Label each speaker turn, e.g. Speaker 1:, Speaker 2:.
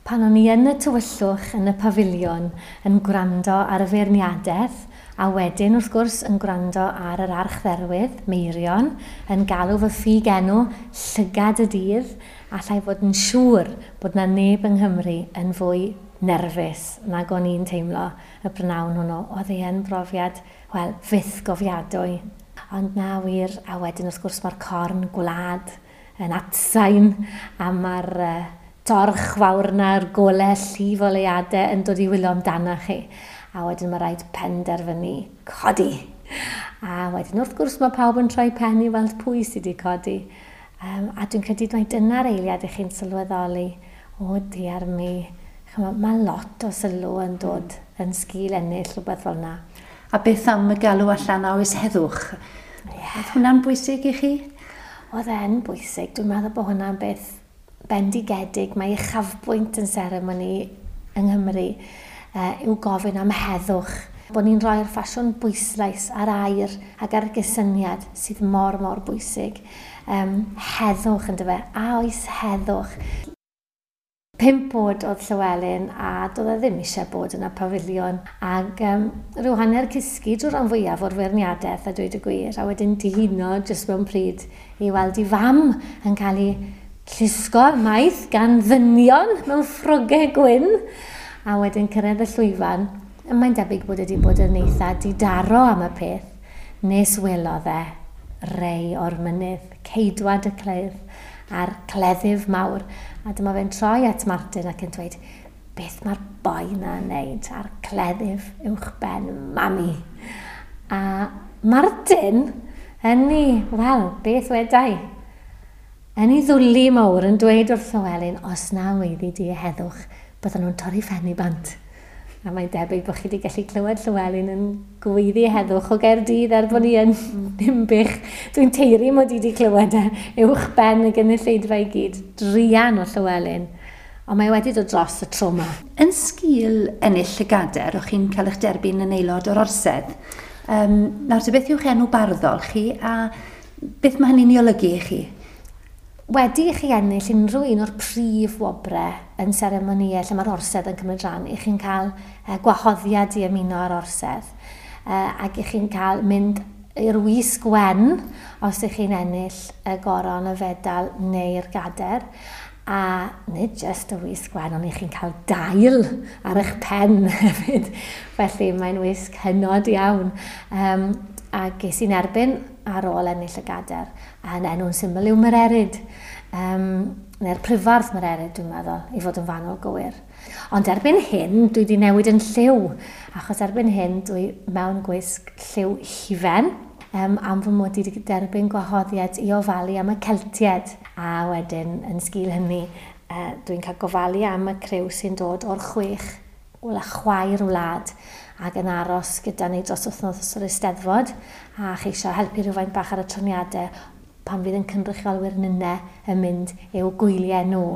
Speaker 1: Pan o'n i yn y tywyllwch yn y pafiliwn yn gwrando ar y feirniadaeth, a wedyn wrth gwrs yn gwrando ar yr archdderwydd, Meirion, yn galw fy ffug enw Llygad y Dydd, allai fod yn siŵr bod 'na neb yng Nghymru yn fwy nerfus nag o'n i'n teimlo y prynhawn hwnnw. Oedd e yn brofiad, wel, fyth gofiadwy. Ond na wir, a wedyn wrth gwrs mae'r corn gwlad yn atsain, a mae'r torch fawr 'na, golau llif oleuadau yn dod i wylo amdano chi. A wedyn mae rhaid penderfynu codi. A wedyn wrth gwrs mae pawb yn troi pen i weld pwy sydd wedi codi. A dwi'n credu mai dyna'r eiliad i chi'n sylweddoli, o diar mi, ch'mo, mae lot o sylw yn dod yn sgil ennill rhywbeth fel yna.
Speaker 2: A beth am y galw allan a oes heddwch?
Speaker 1: Yeah.
Speaker 2: Oedd hwnna'n bwysig i chi?
Speaker 1: Oedd e'n bwysig. Dwi'n meddwl bod hwnna'n beth bendigedig. Mae uchafbwynt yn seremoni yng Nghymru yw gofyn am heddwch. Bod ni'n rhoi'r ffasiwn bwyslais ar air ac ar gysyniad sydd mor, mor bwysig. Heddwch yn dyfe, a oes heddwch. 5 oed oedd Llywelyn a doedd e ddim eisiau bod yn y pafiliwn. Ac rhyw hanner cysgu drwy'r rhan fwyaf o'r feirniadaeth a dweud y gwir, a wedyn dihuno jyst mewn pryd i weld ei fam yn cael ei llusgo ymaith gan ddynion mewn ffrogau gwyn, a wedyn cyrraedd y llwyfan. Mae'n debyg bod wedi bod yn eitha didaro am y peth, nes welodd e rei o'r mynydd, ceidwad y cledd a'r cleddyf mawr. A dyma fe'n troi at Martin ac yn dweud, beth mae'r boi na'n neud a'r cleddyf uwch ben mami? A Martin, yn ei, wel, beth wedai? Yn ei ddwli mawr yn dweud wrth Llywelyn, os na weiddi di heddwch, bydden nhw'n torri phen i bant. A mae'n debyg bod chi wedi gallu clywed Llywelyn yn gweiddi heddwch o Gaerdydd er bod ni yn Ninbych. Dwi'n teiri mod i wedi clywed e uwch ben y gynulleidfa i gyd, druan o Llywelyn. Ond mae wedi dod dros y tro yma.
Speaker 2: Yn sgil ennill y gader, o'ch chi'n cael eich derbyn yn aelod o'r orsedd. Nawr, te beth yw'ch enw barddol chi a beth mae hynny'n ei olygu i chi?
Speaker 1: Wedi i chi ennill unrhyw un o'r prif wobrau yn seremonïau lle mae'r orsedd yn cymryd rhan, i chi'n cael gwahoddiad i ymuno â'r orsedd, ac i chi'n cael mynd i'r wisg wen os ych chi'n ennill y goron, y fedal neu'r gader. A nid jyst y wisg wen, ond i chi'n cael dail ar eich pen hefyd. Felly mae'n wisg hynod iawn. A ges i'n erbyn ar ôl ennill y gader, a'n enw'n syml yw Mererid. Neu'r prifardd Mererid, dwi'n meddwl, i fod yn fanwl gywir. Ond erbyn hyn, dwi wedi newid yn lliw, achos erbyn hyn dwi mewn gwisg lliw hufen, am fy mod i wedi derbyn gwahoddiad i ofalu am y Celtiaid. A wedyn, yn sgil hynny, dwi'n cael gofalu am y criw sy'n dod o'r 6 chwaer wlad ac yn aros gyda ni dros wythnos o'r Eisteddfod a cheisio helpu rhywfaint bach ar y trefniadau pan fydd yn cynrychiolwyr nynne yn mynd i'w gwyliau nhw.